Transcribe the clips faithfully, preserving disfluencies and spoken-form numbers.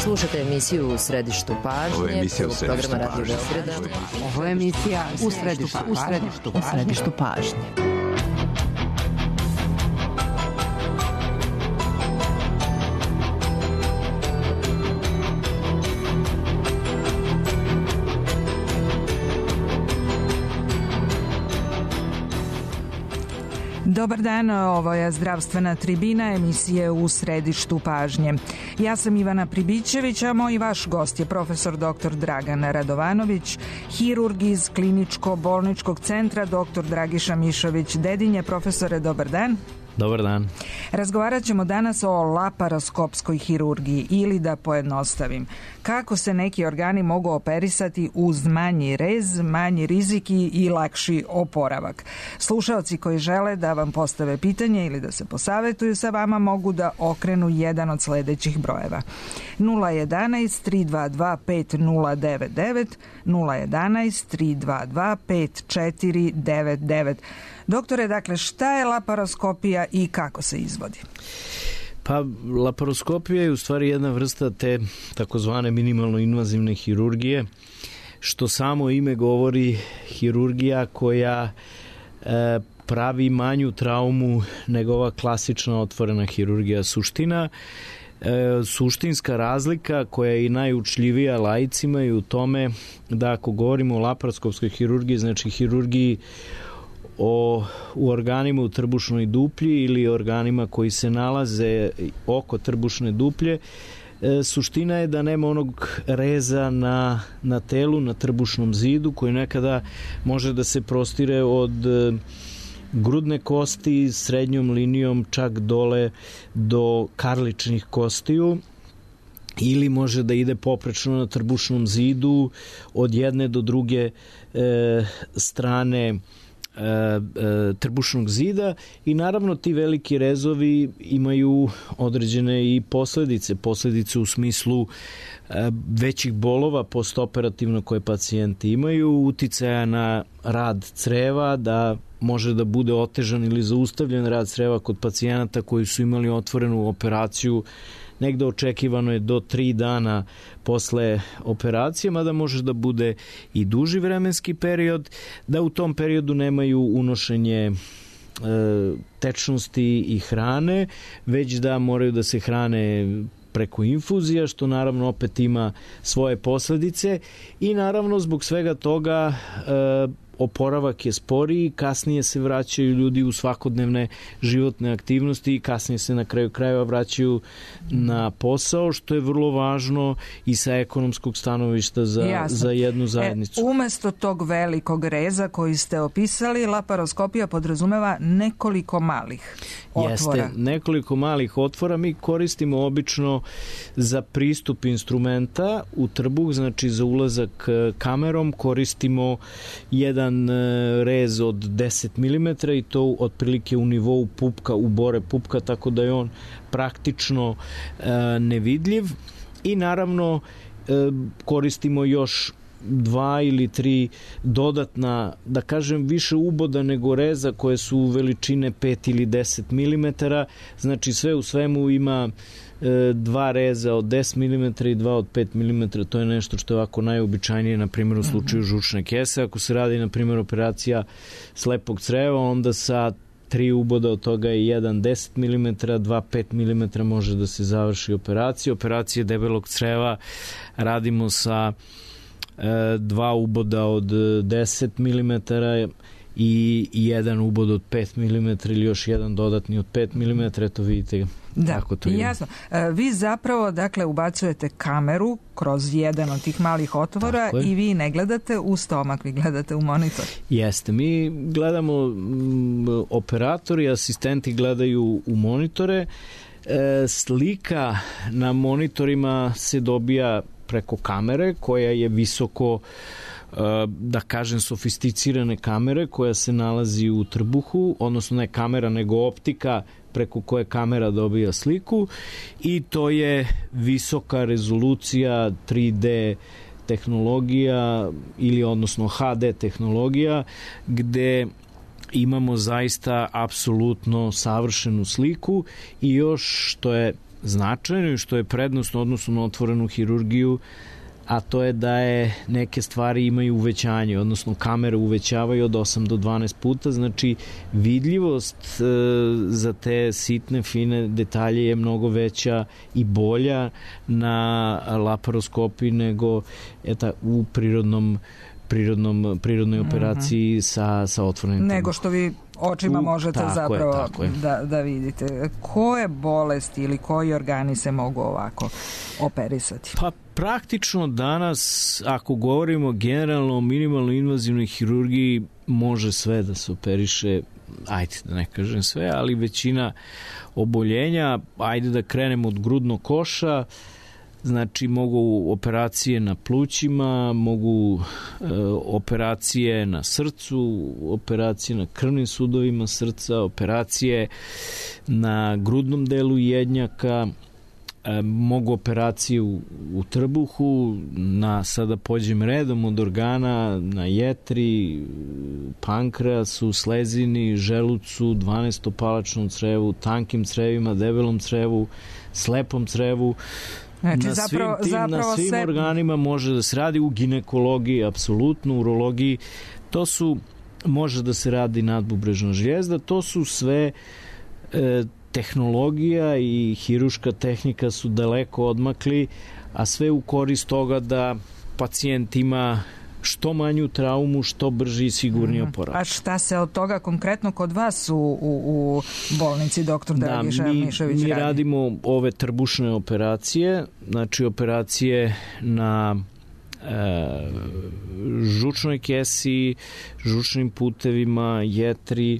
Slušate emisiju U središtu pažnje. Ovo je emisija U središtu programa Radio pažnje. Beograda. Ovo je emisija U središtu pažnje. U središtu pažnje. Dobar dan, ovo je zdravstvena tribina emisije U središtu pažnje. Ja sam Ivana Pribićević, a moj vaš gost je profesor doktor Dragan Radovanović, hirurg iz kliničko-bolničkog centra doktor Dragiša Mišović-Dedinje. Profesore, dobar dan. Dobar dan. Razgovarat ćemo danas o laparoskopskoj hirurgiji ili, da pojednostavim, kako se neki organi mogu operisati uz manji rez, manji rizik i lakši oporavak. Slušaoci koji žele da vam postave pitanje ili da se posavetuju sa vama mogu da okrenu jedan od sledećih brojeva: nula jedanaest tri dva dva pet nula devet devet, nula jedanaest tri dva dva pet četiri devet devet. Doktore, dakle, šta je laparoskopija i kako se izvodi? Pa, laparoskopija je u stvari jedna vrsta te takozvane minimalno invazivne hirurgije, što samo ime govori, hirurgija koja e, pravi manju traumu nego ova klasična otvorena hirurgija. Suština E, suštinska razlika koja je i najučljivija laicima je u tome da ako govorimo o laparoskopskoj hirurgiji, znači hirurgiji o, u organima u trbušnoj duplji ili organima koji se nalaze oko trbušne duplje, e, suština je da nema onog reza na, na telu, na trbušnom zidu koji nekada može da se prostire od e, grudne kosti srednjom linijom čak dole do karličnih kostiju, ili može da ide poprečno na trbušnom zidu od jedne do druge e, strane e, e, trbušnog zida, i naravno ti veliki rezovi imaju određene i posledice, posledice u smislu e, većih bolova postoperativno koje pacijenti imaju, uticaja na rad creva, da može da bude otežan ili zaustavljen rad creva kod pacijenata koji su imali otvorenu operaciju. Negde očekivano je do tri dana posle operacije, mada može da bude i duži vremenski period, da u tom periodu nemaju unošenje e, tečnosti i hrane, već da moraju da se hrane preko infuzija, što naravno opet ima svoje posledice, i naravno zbog svega toga e, oporavak je sporiji, kasnije se vraćaju ljudi u svakodnevne životne aktivnosti i kasnije se na kraju krajeva vraćaju na posao, što je vrlo važno i sa ekonomskog stanovišta za, za jednu zajednicu. E, umesto tog velikog reza koji ste opisali, laparoskopija podrazumeva nekoliko malih otvora. Jeste, nekoliko malih otvora. Mi koristimo obično za pristup instrumenta u trbuh, znači za ulazak kamerom koristimo jedan rez od deset milimetara i to otprilike u nivou pupka, u bore pupka, tako da je on praktično e, nevidljiv, i naravno e, koristimo još dva ili tri dodatna, da kažem, više uboda nego reza koje su veličine pet ili deset milimetara, znači sve u svemu ima dva reza od deset milimetara i dva od pet milimetara. To je nešto što je ovako najobičajnije, na primjer u slučaju žučne kese. Ako se radi, na primjer, operacija slepog creva, onda sa tri uboda od toga je jedan deset milimetara, dva pet milimetara može da se završi operacija. Operacije debelog creva radimo sa e, dva uboda od deset milimetara i jedan ubod od pet milimetara ili još jedan dodatni od pet milimetara. Eto, vidite da, kako to ima. Jasno. Vi zapravo, dakle, ubacujete kameru kroz jedan od tih malih otvora i vi ne gledate u stomak, vi gledate u monitor. Jeste, mi gledamo, m, operatori, asistenti gledaju u monitore. E, slika na monitorima se dobija preko kamere koja je visoko, da kažem, sofisticirane kamere koja se nalazi u trbuhu, odnosno ne kamera nego optika preko koje kamera dobija sliku, i to je visoka rezolucija tri D tehnologija ili odnosno H D tehnologija, gde imamo zaista apsolutno savršenu sliku, i još što je značajno i što je prednost odnosno na otvorenu hirurgiju, a to je da je neke stvari imaju uvećanje, odnosno kamere uvećavaju od osam do dvanaest puta, znači vidljivost e, za te sitne, fine detalje je mnogo veća i bolja na laparoskopiji nego eta, u prirodnom prirodnom, prirodnoj operaciji mm-hmm. sa, sa otvorenim nego što vi očima u, možete tako zapravo je, tako je. Da, da vidite. Koje bolesti ili koji organi se mogu ovako operisati? Pa praktično danas, ako govorimo generalno o minimalno invazivnoj hirurgiji, može sve da se operiše, ajde da ne kažem sve, ali većina oboljenja, ajde da krenemo od grudnog koša, znači mogu operacije na plućima, mogu e, operacije na srcu, operacije na krvnim sudovima srca, operacije na grudnom delu jednjaka, e, mogu operacije u, u trbuhu, na, sada pođem redom od organa, na jetri, pankreasu, slezini, želucu, dvanaestopalačnom crevu, tankim crevima, debelom crevu, slepom crevu. Znači, na zapravo, svim, tim, zapravo na svim sve... organima može da se radi, u ginekologiji, apsolutno, urologiji, to su, može da se radi nadbubrežna žljezda, to su sve e, tehnologija i hiruška tehnika su daleko odmakli, a sve u korist toga da pacijent ima što manju traumu, što brži i sigurniji oporavak. A šta se od toga konkretno kod vas u, u, u bolnici doktor Dragiša da, mi, Mišović mi radi? radimo ove trbušne operacije, znači operacije na e, žučnoj kesi, žučnim putevima, jetri, e,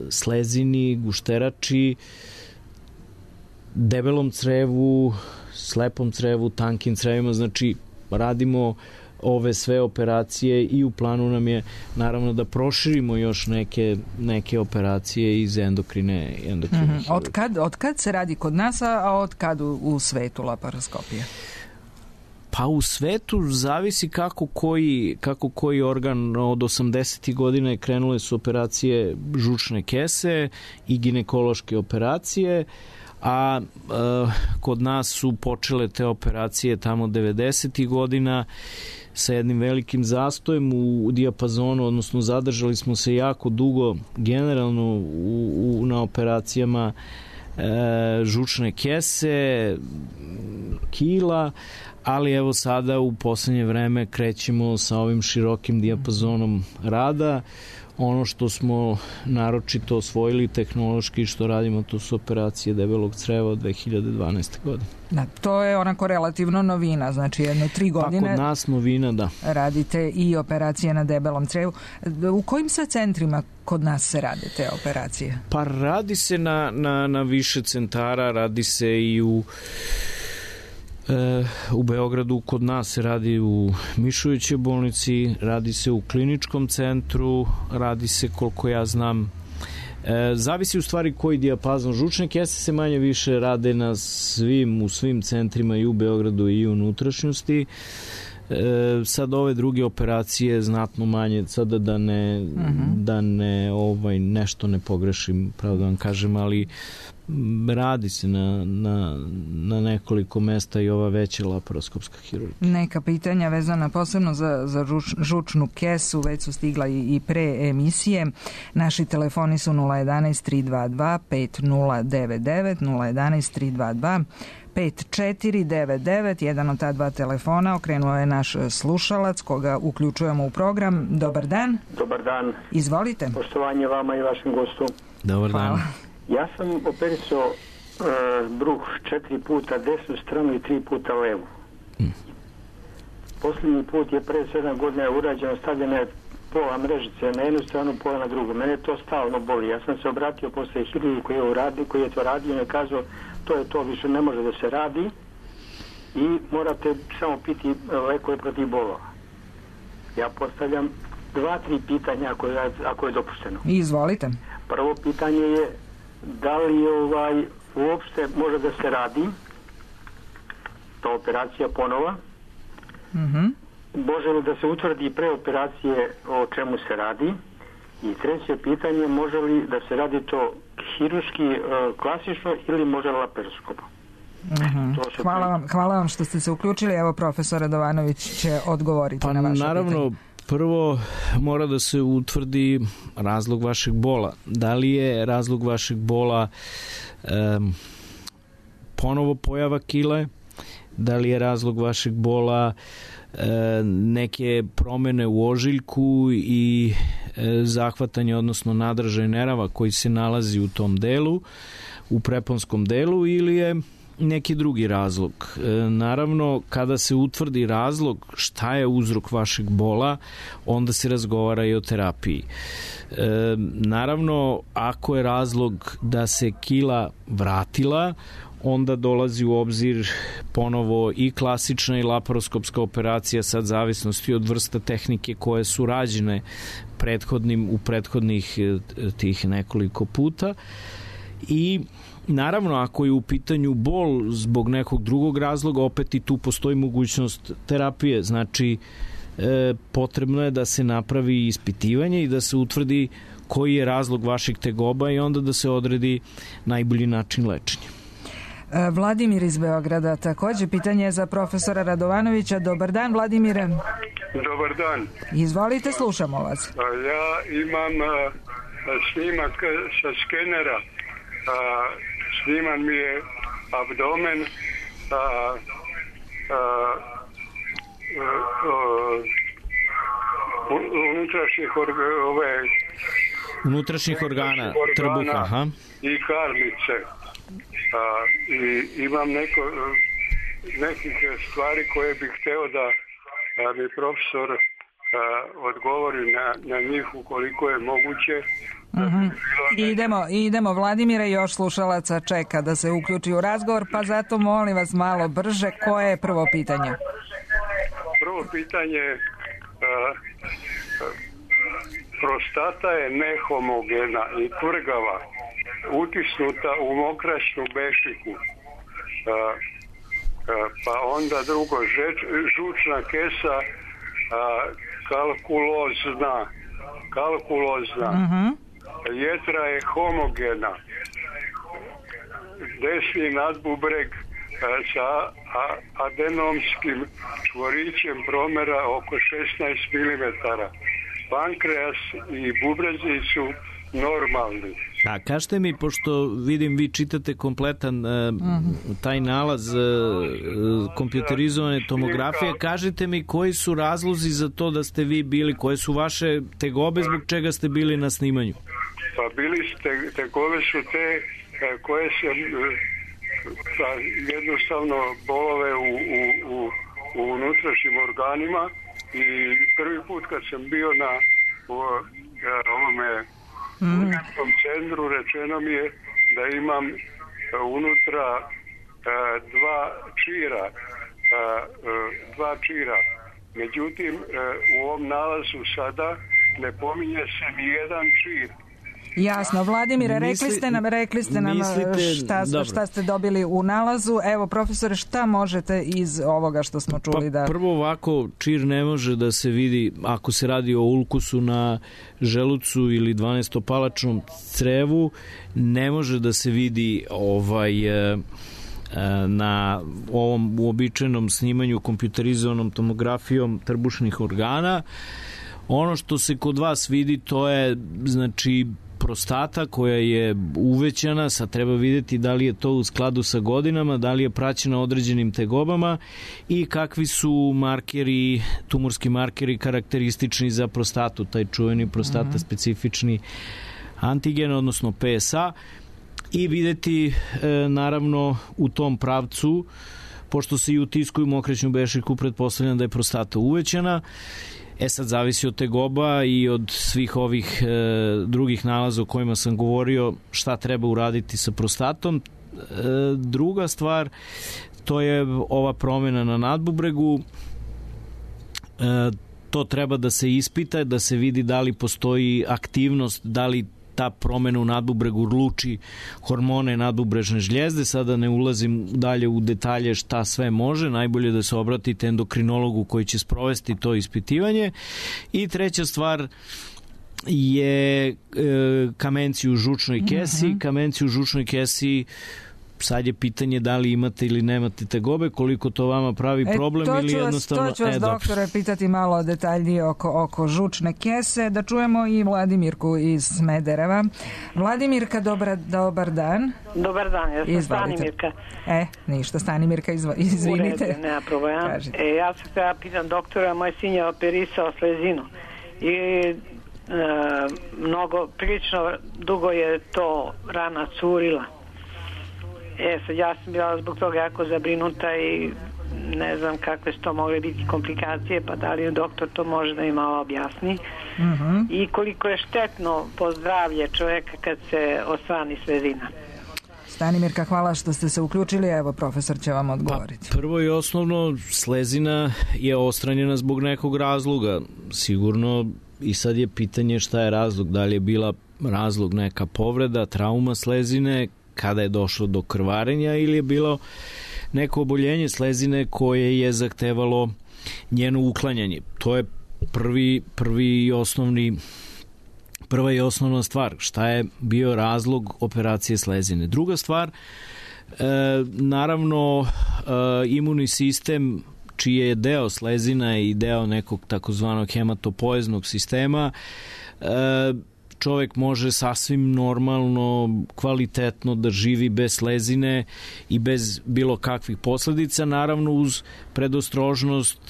slezini, gušterači, debelom crevu, slepom crevu, tankim crevima, znači radimo ove sve operacije i u planu nam je naravno da proširimo još neke, neke operacije iz endokrine, endokrine mm-hmm. Od kad, od kad se radi kod nas, a od kad u, u svetu laparoskopija? Pa u svetu zavisi kako koji, kako koji organ. Od osamdesetih godina krenule su operacije žučne kese i ginekološke operacije, a e, kod nas su počele te operacije tamo devedesetih godina sa jednim velikim zastojem u, u dijapazonu, odnosno zadržali smo se jako dugo generalno u, u, na operacijama e, žučne kese, kila, ali evo sada u poslednje vreme krećemo sa ovim širokim dijapazonom rada. Ono što smo naročito osvojili tehnološki što radimo, to su operacije debelog creva od dve hiljade dvanaeste. godine. Da, to je onako relativno novina, znači jedno tri godine. Pa kod nas novina, da. Radite i operacije na debelom crevu. U kojim sve centrima kod nas se rade te operacije? Pa radi se na, na, na više centara, radi se i u u Beogradu, kod nas se radi u Mišovićevoj bolnici, radi se u kliničkom centru, radi se, koliko ja znam, e, zavisi u stvari koji dijapazon. Žučne kese se manje više rade na svim, u svim centrima i u Beogradu i u unutrašnjosti. E, sad ove druge operacije znatno manje, sada da ne, uh-huh. da ne ovaj, nešto ne pogrešim, pravo da vam kažem, ali radi se na, na, na nekoliko mesta i ova veća laparoskopska hirurgija. Neka pitanja vezana posebno za, za žuč, žučnu kesu već su stigla i, i pre emisije. Naši telefoni su nula jedanaest tri dva dva pet nula devet devet, nula jedanaest tri dva dva pet četiri devet devet. Jedan od ta dva telefona okrenuo je naš slušalac koga uključujemo u program. Dobar dan. Dobar dan. Izvolite. Poštovanje vama i vašem gostu. Dobar dan. Hvala. Ja sam operisao uh, bruh četiri puta desnu stranu i tri puta levu. Hmm. Posljednji put je pre sedam godina urađeno, stavljena je pola mrežice na jednu stranu, pola na drugu. Mene to stalno boli. Ja sam se obratio posle hirurgu koji je, uradi, koji je to radio i je kazao to je to, više ne može da se radi i morate samo piti lekove protiv bolova. Ja postavljam dva, tri pitanja ako je, ako je dopušteno. Izvolite. Prvo pitanje je da li ovaj uopšte može da se radi ta operacija ponova. Mhm. Može li da se utvrdi pre operacije o čemu se radi? I treće pitanje, može li da se radi to hirurški klasično ili može laparoskop? Uh-huh. Hvala vam, hvala vam što ste se uključili. Evo, profesor Radovanović će odgovoriti pa, na vaše naravno, pitanje. Prvo mora da se utvrdi razlog vašeg bola. Da li je razlog vašeg bola um, ponovo pojava kile? Da li je razlog vašeg bola e, neke promene u ožiljku i e, zahvatanje, odnosno nadražaj nerava koji se nalazi u tom delu, u preponskom delu, ili je neki drugi razlog. E, naravno, kada se utvrdi razlog šta je uzrok vašeg bola, onda se razgovara i o terapiji. E, naravno, ako je razlog da se kila vratila, onda dolazi u obzir ponovo i klasična i laparoskopska operacija, sad zavisnosti od vrsta tehnike koje su rađene prethodnim, u prethodnih tih nekoliko puta. I naravno, ako je u pitanju bol zbog nekog drugog razloga, opet i tu postoji mogućnost terapije. Znači, e, potrebno je da se napravi ispitivanje i da se utvrdi koji je razlog vaših tegoba i onda da se odredi najbolji način lečenja. Vladimir iz Beograda, takođe pitanje za profesora Radovanovića. Dobar dan, Vladimire. Dobar dan. Izvolite, slušamo vas. Ja imam a, snimak sa skenera. A, sniman mi je abdomen, a, a, a, unutrašnjih orga, ove, unutrašnjih organa, organa trbuha, aha. I karlice. A, i imam neko, nekih stvari koje bih hteo da a, mi profesor a, odgovori na, na njih ukoliko je moguće. Uh-huh. Idemo, idemo, Vladimira, još slušalaca čeka da se uključi u razgovor, pa zato molim vas malo brže. Koje je prvo pitanje? Prvo pitanje, a, a, prostata je nehomogena i tvrgava, utisnuta u mokraćnu bešiku. A, a, pa onda drugo, žeč, žučna kesa a, kalkulozna. Kalkulozna. Uh-huh. Jetra je homogena. Desni nadbubreg a, sa a, adenomskim čvorićem promera oko šesnaest milimetara. Pankreas i bubrezi su normalni. A kažete mi, pošto vidim vi čitate kompletan uh, uh-huh. taj nalaz uh, kompjuterizovane tomografije, kažite mi koji su razlozi za to da ste vi bili, koje su vaše tegobe, zbog čega ste bili na snimanju? Pa bili ste, tegobe su te koje se pa, jednostavno bolove u, u, u, u unutrašnjim organima i prvi put kad sam bio na u, ovome Mm. u nekom centru rečeno mi je da imam uh, unutra uh, dva čira uh, uh, dva čira. Međutim, uh, u ovom nalazu sada ne pominje se ni jedan čir. Jasno, Vladimire, rekli ste nam, rekli ste nam šta, šta ste dobili u nalazu. Evo, profesore, šta možete iz ovoga što smo čuli? Pa, da... Prvo ovako, čir ne može da se vidi ako se radi o ulkusu na želucu ili dvanaestopalačnom crevu, ne može da se vidi ovaj na ovom uobičajenom snimanju kompjuterizovanom tomografijom trbušnih organa. Ono što se kod vas vidi, to je, znači, prostata koja je uvećana, sad treba vidjeti da li je to u skladu sa godinama, da li je praćena određenim tegobama i kakvi su markeri, tumorski markeri karakteristični za prostatu, taj čuveni prostata uh-huh. specifični antigen, odnosno P S A, i videti e, naravno u tom pravcu, pošto se i utiskuju mokraćnu bešiku, pretpostavljam da je prostata uvećana. E sad zavisi od tegoba i od svih ovih e, drugih nalaza o kojima sam govorio šta treba uraditi sa prostatom. E, druga stvar, to je ova promjena na nadbubregu. E, to treba da se ispita, da se vidi da li postoji aktivnost, da li ta promena u nadbubregu luči hormone nadbubrežne žljezde. Sada ne ulazim dalje u detalje šta sve može, najbolje da se obratite endokrinologu koji će sprovesti to ispitivanje. I treća stvar, je e, kamenci u žučnoj kesi. Mm-hmm. Kamenci u žučnoj kesi, sad je pitanje da li imate ili nemate tegobe, koliko to vama pravi e, problem ili vas, jednostavno... To ću vas, e, doktore, pitati malo detaljnije oko, oko žučne kese, da čujemo i Vladimirku iz Smedereva. Vladimirka, dobra, dobar dan. Dobar dan, ja sam Izvalite. Stanimirka. E, ništa, Stanimirka, izvo, izvinite. U redu, nema problema. E, ja sam kada pitan doktora, moj sin je operisao slezinu i e, mnogo, prilično dugo je to rana curila. E, sad ja sam bila zbog toga jako zabrinuta i ne znam kakve su to mogle biti komplikacije, pa da li doktor to može da mi malo objasni. Mm-hmm. I koliko je štetno po zdravlje čoveka kad se osvani slezina. Stanimirka, hvala što ste se uključili, evo profesor će vam odgovoriti. Pa, prvo i osnovno, slezina je ostranjena zbog nekog razloga, sigurno, i sad je pitanje šta je razlog, da li je bila razlog neka povreda, trauma slezine, kada je došlo do krvarenja, ili je bilo neko oboljenje slezine koje je zahtevalo njeno uklanjanje. To je prvi, prvi i osnovni prva i osnovna stvar, šta je bio razlog operacije slezine. Druga stvar, e, naravno e, imunni sistem čiji je deo slezina i deo nekog takozvanog hematopoeznog sistema, e, čovek može sasvim normalno, kvalitetno da živi bez slezine i bez bilo kakvih posledica, naravno uz predostrožnost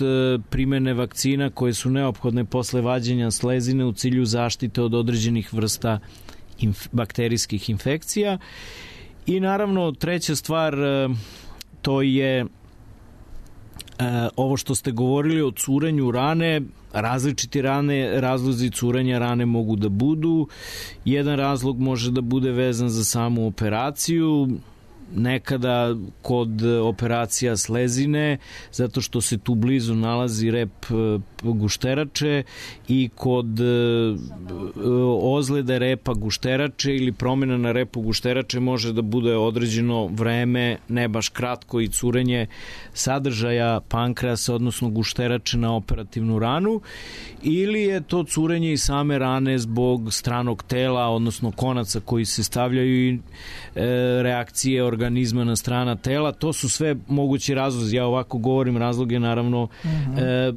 primene vakcina koje su neophodne posle vađenja slezine u cilju zaštite od određenih vrsta inf- bakterijskih infekcija. I naravno treća stvar, to je ovo što ste govorili o curenju rane. Različiti rane, razlozi curenja rane mogu da budu. Jedan razlog može da bude vezan za samu operaciju, nekada kod operacija slezine, zato što se tu blizu nalazi rep gušterače, i kod ozljede repa gušterače ili promjena na repu gušterače može da bude određeno vreme, ne baš kratko, i curenje sadržaja pankreasa, odnosno gušterače na operativnu ranu, ili je to curenje i same rane zbog stranog tela, odnosno konaca koji se stavljaju i reakcije organizma na strana tela. To su sve mogući razlozi. Ja ovako govorim, razlog je naravno uh-huh. e,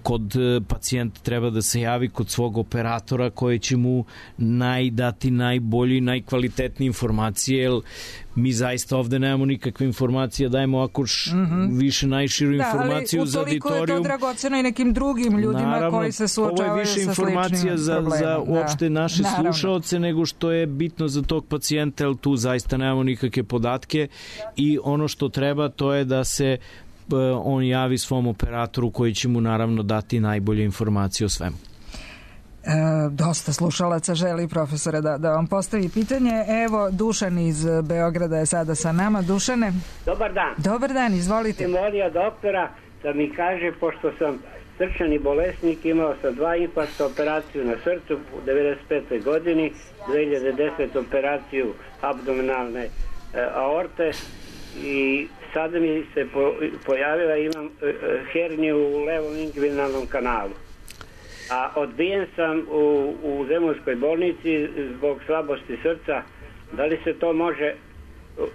kod pacijenta treba da se javi kod svog operatora koji će mu naj, dati najbolji, najkvalitetnije informacije, jer mi zaista ovde nemamo nikakve informacije, dajemo ako š, mm-hmm. više najširu da, informaciju za auditorium. Da, ali utoliko je to dragoceno i nekim drugim ljudima naravno, koji se suočavaju sa sličnim problemom. Ovo je više informacija za, za uopšte da, naše naravno. slušaoce nego što je bitno za tog pacijenta, jer tu zaista nemamo nikakve podatke, i ono što treba to je da se on javi svom operatoru koji će mu naravno dati najbolje informacije o svemu. E, dosta slušalaca želi, profesore, da, da vam postavi pitanje. Evo, Dušan iz Beograda je sada sa nama. Dušane? Dobar dan. Dobar dan, izvolite. Molio doktora da mi kaže, pošto sam srčani bolesnik, imao sam dva infarkta, operaciju na srcu u devedeset petoj godini, dve hiljade desete operaciju abdominalne e, aorte, i sada mi se po, pojavila, imam e, herniju u levom inguinalnom kanalu. A odbijen sam u, u Zemunskoj bolnici zbog slabosti srca. Da li se to može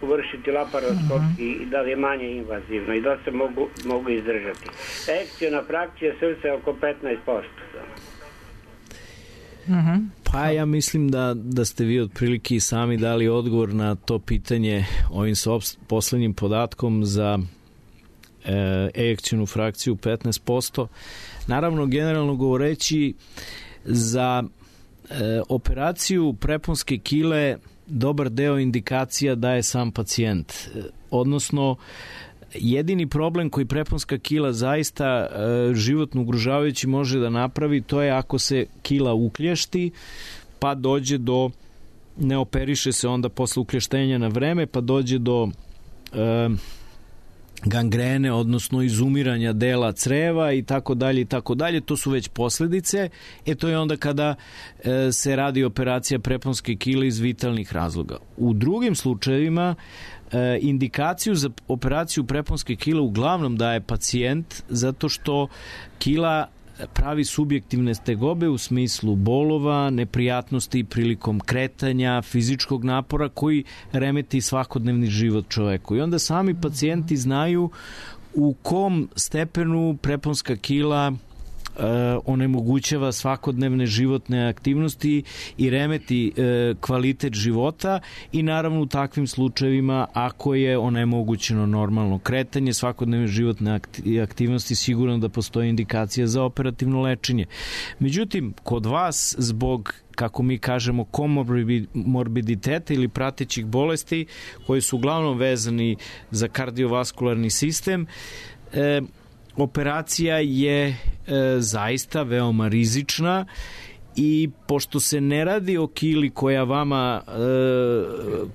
vršiti laparoskopski i mm-hmm. da li je manje invazivno i da se mogu, mogu izdržati? Ekciona frakcija srca je oko petnaest posto. Mm-hmm. Pa ja mislim da, da ste vi otprilike i sami dali odgovor na to pitanje ovim poslednjim podatkom za e, ejekcionu frakciju petnaest posto. Naravno, generalno govoreći, za e, operaciju preponske kile dobar deo indikacija daje sam pacijent. E, odnosno, jedini problem koji preponska kila zaista e, životno ugrožavajući može da napravi, to je ako se kila uklješti, pa dođe do, ne operiše se onda posle uklještenja na vreme, pa dođe do e, gangrene, odnosno izumiranja dela creva i tako dalje i tako dalje. To su već posledice. E to je onda kada e, se radi operacija preponske kile iz vitalnih razloga. U drugim slučajevima e, indikaciju za operaciju preponske kile uglavnom daje pacijent, zato što kila pravi subjektivne tegobe u smislu bolova, neprijatnosti prilikom kretanja, fizičkog napora koji remeti svakodnevni život čoveku. I onda sami pacijenti znaju u kom stepenu preponska kila onemogućava svakodnevne životne aktivnosti i remeti e, kvalitet života i naravno u takvim slučajevima ako je onemogućeno normalno kretanje, svakodnevne životne aktivnosti, sigurno da postoji indikacija za operativno lečenje. Međutim, kod vas zbog, kako mi kažemo, komorbiditeta ili pratećih bolesti koji su uglavnom vezani za kardiovaskularni sistem, e, operacija je e, zaista veoma rizična i pošto se ne radi o kili koja vama e,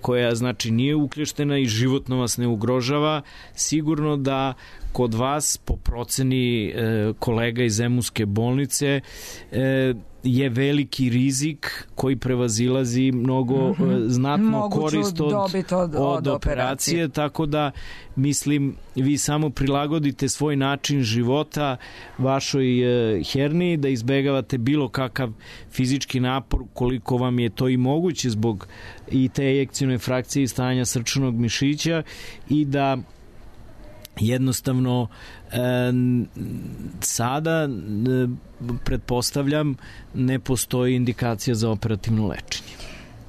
koja znači nije uklještena i životno vas ne ugrožava, sigurno da kod vas po proceni e, kolega iz Zemunske bolnice e, je veliki rizik koji prevazilazi mnogo mm-hmm. znatno Moguću korist od, od, od, od operacije. operacije, tako da mislim vi samo prilagodite svoj način života vašoj e, herniji, da izbegavate bilo kakav fizički napor koliko vam je to i moguće zbog i te ejekcione frakcije i stanja srčanog mišića i da jednostavno e, sada e, pretpostavljam ne postoji indikacija za operativno lečenje.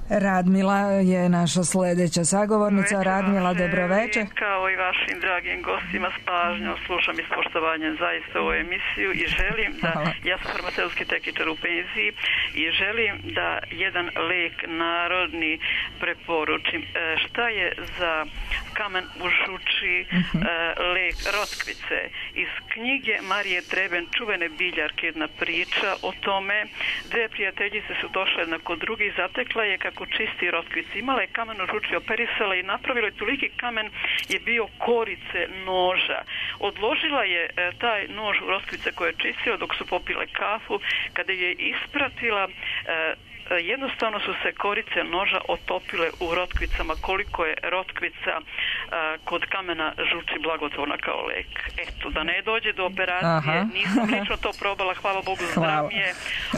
Radmila je naša sledeća sagovornica. Radmila, dobroveče. Kao i vašim dragim gostima s pažnjom slušam i s poštovanjem zaista ovu emisiju i želim da, Hvala. ja sam farmaceutski tehničar u penziji i želim da jedan lek narodni preporučim. Šta je za kamen u žuči uh-huh. lek rotkvice? Iz knjige Marije Treben, čuvene biljarke, jedna priča o tome. Dve prijateljice su došle jedna kod druge i zatekla je kako čisti rotkvice. Imala je kamen u žuči, operisala i napravila je toliki kamen je bio korice noža. Odložila je e, taj nož u rotkvice koje je čistila dok su popile kafu. Kada je ispratila e, jednostavno su se korice noža otopile u rotkvicama. Koliko je rotkvica a, kod kamena žuči blagotvorna kao lek. Eto, da ne dođe do operacije. Aha. Nisam lično to probala, hvala Bogu, zdrav je,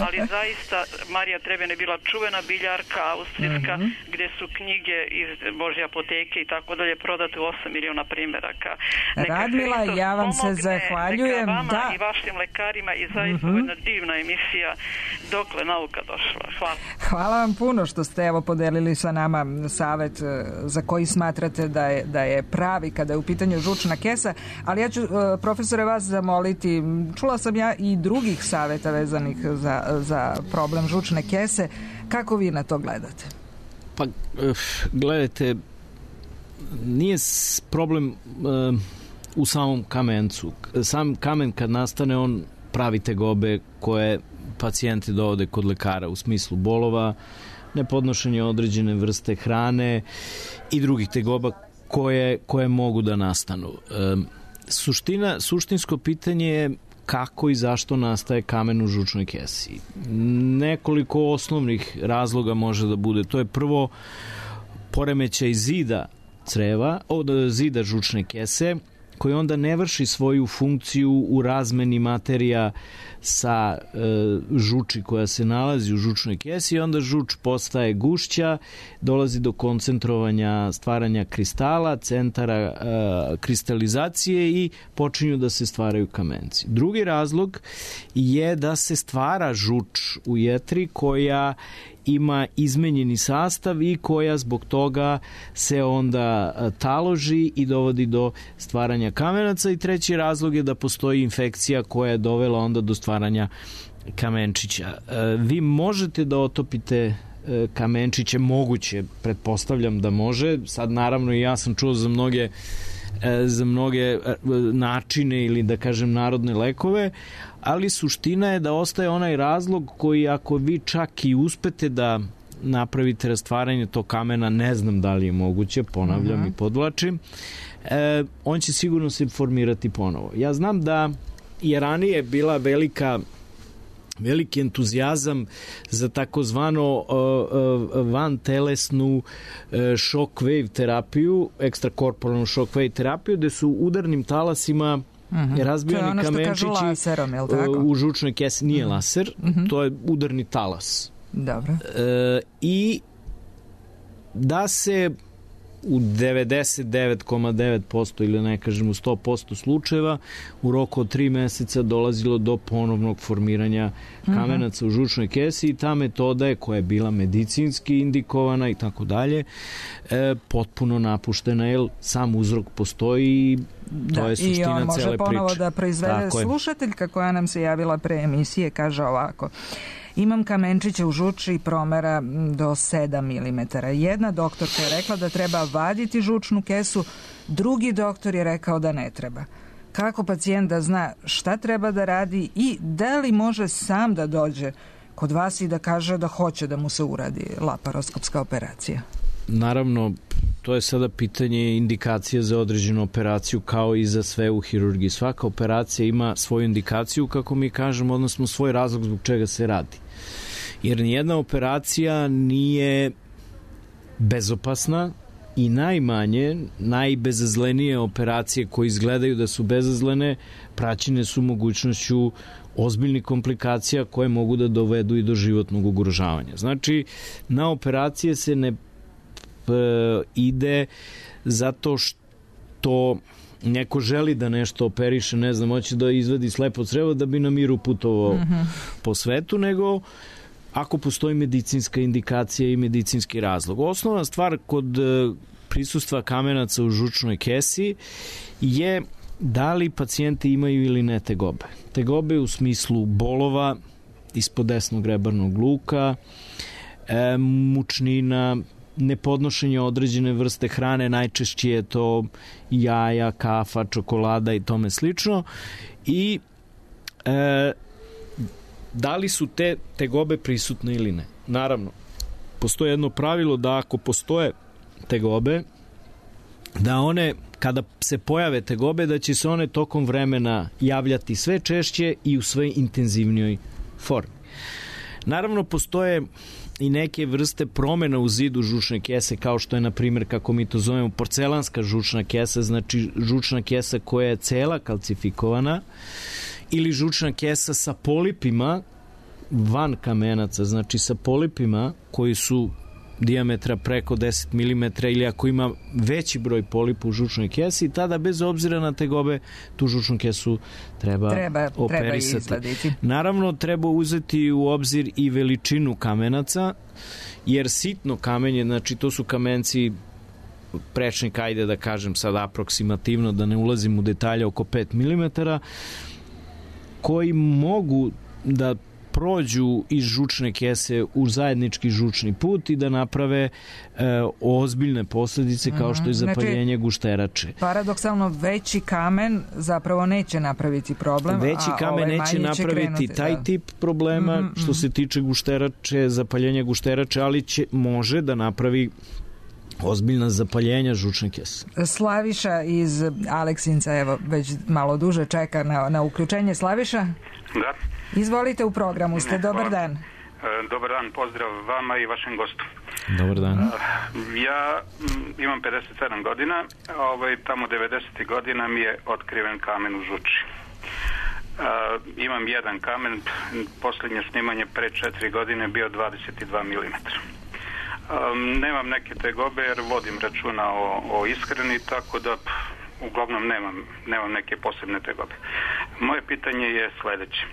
ali zaista Marija Treben je bila čuvena biljarka austrijska, mm-hmm. gde su knjige iz Božje apoteke i tako dalje prodate u osam miliona primjeraka. Radmila, ja vam pomogne, se zahvaljujem. Neka vama da. i vašim lekarima i zaista mm-hmm. jedna divna emisija dokle nauka došla. Hvala. Hvala vam puno što ste evo podelili sa nama savet za koji smatrate da je, da je pravi kada je u pitanju žučna kesa, ali ja ću profesore vas zamoliti, čula sam ja i drugih saveta vezanih za, za problem žučne kese, kako vi na to gledate? Pa gledajte, nije problem uh, u samom kamencu. Sam kamen kad nastane on pravi tegobe koje pacijenti dovode kod lekara u smislu bolova, nepodnošenje određene vrste hrane i drugih tegoba koje, koje mogu da nastanu. E, suština, suštinsko pitanje je kako i zašto nastaje kamen u žučnoj kesi. Nekoliko osnovnih razloga može da bude. To je prvo poremećaj zida creva, od zida žučne kese, koji onda ne vrši svoju funkciju u razmeni materija sa e, žuči koja se nalazi u žučnoj kesi i onda žuč postaje gušća, dolazi do koncentrovanja, stvaranja kristala, centara e, kristalizacije i počinju da se stvaraju kamenci. Drugi razlog je da se stvara žuč u jetri koja ima izmenjeni sastav i koja zbog toga se onda taloži i dovodi do stvaranja kamenaca i treći razlog je da postoji infekcija koja je dovela onda do stvaranja kamenčića. Vi možete da otopite kamenčiće, moguće, pretpostavljam da može, sad naravno i ja sam čuo za mnoge za mnoge načine ili da kažem narodne lekove, ali suština je da ostaje onaj razlog koji ako vi čak i uspete da napravite rastvaranje tog kamena, ne znam da li je moguće, ponavljam uh-huh. i podvlačim, e, on će sigurno se formirati ponovo. Ja znam da je ranije bila velika veliki entuzijazam za takozvano uh, uh, vantelesnu uh, shockwave terapiju, ekstrakorporalnu shockwave terapiju, gde su udarnim talasima Mm-hmm. Razbijani ono kamenčići laserom, je li tako? u žučnoj kesi nije mm-hmm. laser, mm-hmm. to je udarni talas. Dobro. E, I da se u devedeset devet zarez devet posto ili ne kažem u sto posto slučajeva u roku od tri meseca dolazilo do ponovnog formiranja kamenaca mm-hmm. u žučnoj kesi i ta metoda je koja je bila medicinski indikovana i tako dalje potpuno napuštena jer sam uzrok postoji i to da, je suština cele priče. I on može ponovo da proizvede slušateljka koja nam se javila pre emisije, kaže ovako: imam kamenčiće u žuči promera do sedam milimetara. Jedna doktorka je rekla da treba vaditi žučnu kesu, drugi doktor je rekao da ne treba. Kako pacijent da zna šta treba da radi i da li može sam da dođe kod vas i da kaže da hoće da mu se uradi laparoskopska operacija? Naravno, to je sada pitanje indikacije za određenu operaciju kao i za sve u hirurgiji. Svaka operacija ima svoju indikaciju, kako mi kažemo, odnosno svoj razlog zbog čega se radi. Jer nijedna operacija nije bezopasna i najmanje, najbezazlenije operacije koje izgledaju da su bezazlene praćene su mogućnošću ozbiljnih komplikacija koje mogu da dovedu i do životnog ugrožavanja. Znači, na operacije se ne ide zato što neko želi da nešto operiše, ne znam, hoće da izvadi slepo crevo da bi na miru putovao mm-hmm. po svetu, nego ako postoji medicinska indikacija i medicinski razlog. Osnovna stvar kod prisustva kamenaca u žučnoj kesi je da li pacijenti imaju ili ne tegobe. Tegobe u smislu bolova ispod desnog rebarnog luka, e, mučnina, nepodnošenje određene vrste hrane, najčešće je to jaja, kafa, čokolada i tome slično. I e, da li su te tegobe prisutne ili ne? Naravno, postoje jedno pravilo da ako postoje tegobe, da one, kada se pojave tegobe, da će se one tokom vremena javljati sve češće i u sve intenzivnijoj formi. Naravno, postoje i neke vrste promena u zidu žučne kese, kao što je, na primjer, kako mi to zovemo, porcelanska žučna kesa, znači žučna kesa koja je cela kalcifikovana, ili žučna kesa sa polipima van kamenaca, znači sa polipima koji su dijametra preko deset milimetara ili ako ima veći broj polipa u žučnoj kesi, tada bez obzira na tegobe tu žučnu kesu treba, treba operisati. Treba Naravno, treba uzeti u obzir i veličinu kamenaca, jer sitno kamenje, znači to su kamenci prečnik, ajde da kažem sad aproksimativno, da ne ulazim u detalje, oko pet milimetara, koji mogu da prođu iz žučne kese u zajednički žučni put i da naprave e, ozbiljne posledice kao što je zapaljenje znači, gušterače. Paradoksalno, veći kamen zapravo neće napraviti problem. Veći kamen ovaj neće napraviti krenuti, taj da. tip problema mm-hmm. što se tiče gušterače, zapaljenja gušterače, ali će, može da napravi ozbiljna zapaljenja žučne kese. Slaviša iz Aleksinca, evo, već malo duže čeka na, na uključenje. Slaviša? Da. Izvolite, u programu ste, dobar dan. E, dobar dan, pozdrav vama i vašem gostu. Dobar dan. E, ja m, imam pedeset sedam godina, ovaj, tamo devedesetih godina mi je otkriven kamen u žuči. E, imam jedan kamen, posljednje snimanje pre četiri godine bio dvadeset dva milimetra. Um, nemam neke tegobe jer vodim računa o, o ishrani, tako da p, uglavnom nemam, nemam neke posebne tegobe. Moje pitanje je sledeće.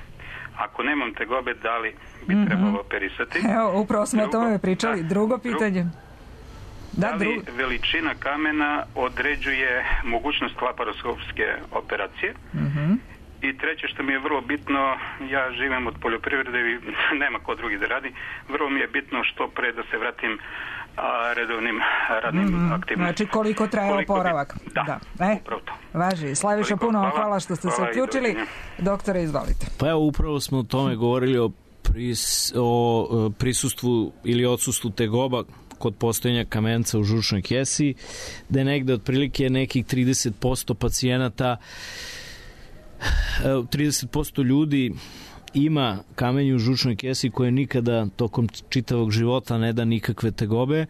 Ako nemam tegobe, da li bi mm-hmm. trebalo operisati? Evo, upravo smo o tome pričali. Da, Drugo pitanje. Da, da li drugo... veličina kamena određuje mogućnost laparoskopske operacije? Mm-hmm. I treće što mi je vrlo bitno, ja živim od poljoprivrede i nema ko drugi da radi, vrlo mi je bitno što pre da se vratim a, redovnim radnim mm-hmm. aktivnostima. Znači koliko traje koliko oporavak. Bi... Da, da. E, upravo to. Važi. Slaviša, koliko, puno vam hvala, hvala što ste hvala se uključili. Doktore, izvolite. Pa evo, upravo smo o tome govorili o, pris, o prisustvu ili odsustvu tegoba kod postojanja kamenca u žučnoj kesi, da je negde otprilike nekih trideset posto pacijenata trideset posto ljudi ima kamenje u žučnoj kesi koje nikada tokom čitavog života ne da nikakve tegobe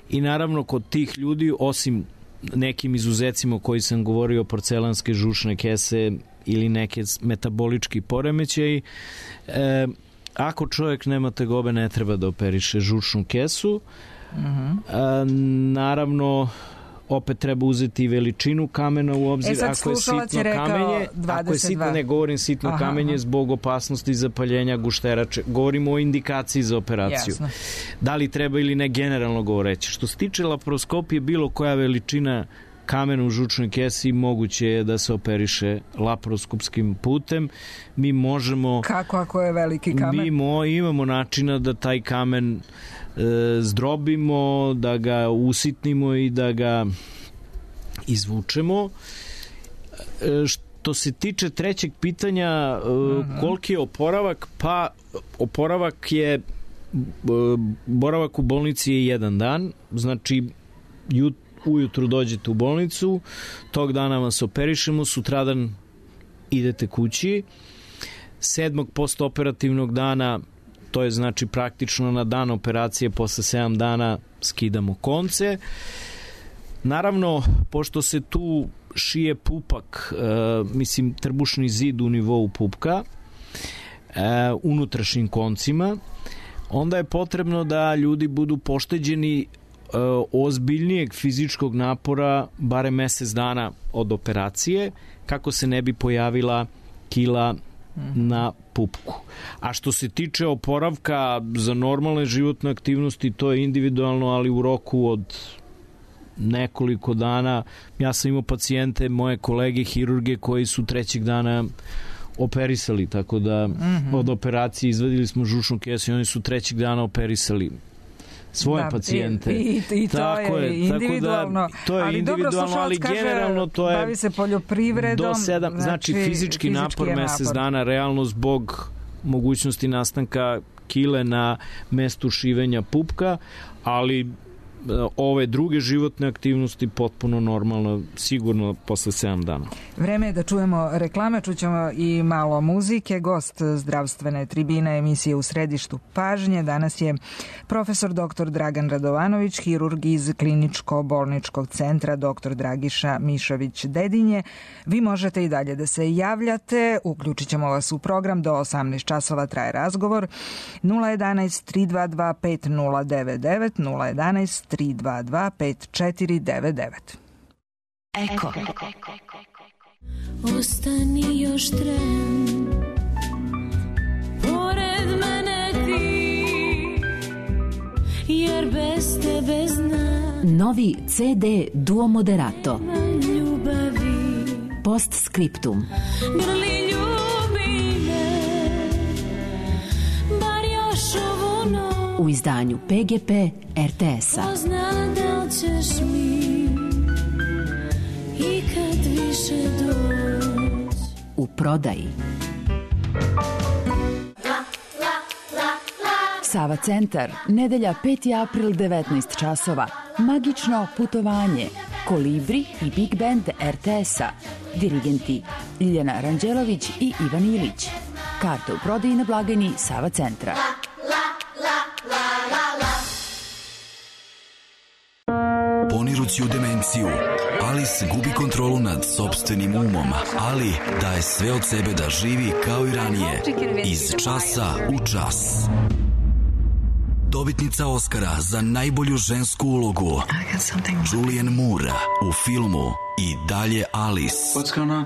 i naravno kod tih ljudi osim nekim izuzecima koji sam govorio, porcelanske žučne kese ili neke metabolički poremećaji. E, ako čovjek nema tegobe, ne treba da operiše žučnu kesu. Uh-huh. E, naravno, opet treba uzeti veličinu kamena u obzir. E sad, ako je sitno je kamenje, ako je sitno, ne govorim sitno aha, kamenje aha. zbog opasnosti zapaljenja gušterače. Govorimo o indikaciji za operaciju. Jasno. Da li treba ili ne, generalno govoreći. Što se tiče laparoskopije, bilo koja veličina kamena u žučnoj kesi moguće je da se operiše laparoskopskim putem. Mi možemo... Kako ako je veliki kamen? Mi mo, imamo načina da taj kamen e, zdrobimo, da ga usitnimo i da ga izvučemo. E, što se tiče trećeg pitanja, e, uh-huh. koliki je oporavak? Pa oporavak je e, boravak u bolnici je jedan dan, znači jut ujutru dođete u bolnicu, tog dana vas operišemo, sutradan idete kući, sedmog postoperativnog dana, to je znači praktično na dan operacije, posle sedam dana skidamo konce. Naravno, pošto se tu šije pupak, e, mislim trbušni zid u nivou pupka, e, unutrašnjim koncima, onda je potrebno da ljudi budu pošteđeni ozbiljnijeg fizičkog napora barem mesec dana od operacije, kako se ne bi pojavila kila na pupku. A što se tiče oporavka za normalne životne aktivnosti, to je individualno, ali u roku od nekoliko dana. Ja sam imao pacijente, moje kolege hirurge, koji su trećeg dana operisali, tako da mm-hmm. od operacije izvadili smo žučnu kesu i oni su trećeg dana operisali svoje da, pacijente. I, i, i to tako je individualno. Tako da, to je ali individualno, dobro, ali kaže, generalno to je bavi se poljoprivredom. Do sedam, znači, znači fizički, fizički napor mesec napor. dana, realno zbog mogućnosti nastanka kile na mestu šivenja pupka, ali ove druge životne aktivnosti potpuno normalno, sigurno posle sedam dana. Vreme je da čujemo reklame, čućemo i malo muzike. Gost zdravstvene tribine emisije U središtu pažnje danas je profesor doktor Dragan Radovanović, hirurg iz kliničko-bolničkog centra doktor Dragiša Mišović Dedinje. Vi možete i dalje da se javljate, uključit ćemo vas u program, do osamnaest časova traje razgovor. nula jedanaest tri dva dva pet nula devet devet, nula jedanaest tri dva dva pet četiri devet devet. Eko. Ostani još tren, pored mene ti, jer bez tebe znam. Novi ce de Duo Moderato. Postscriptum. Grli ljubi me, bar još ovu noć. U izdanju pe ge pe er te es-a. Pozna da li ćeš mi i kad više doć. U prodaji. Sava centar, nedelja peti april, devetnaest časova. Magično putovanje. Kolibri i Big Band er te es-a. Dirigenti Ljiljana Ranđelović i Ivan Ilić. Karte u prodaji na blagajni Sava centra. Ponirući u demenciju, Alice gubi kontrolu nad sopstvenim umom, ali daje sve od sebe da živi kao i ranije, iz časa u čas. Dobitnica Oscara za najbolju žensku ulogu Julianne Moore u filmu I dalje Alice,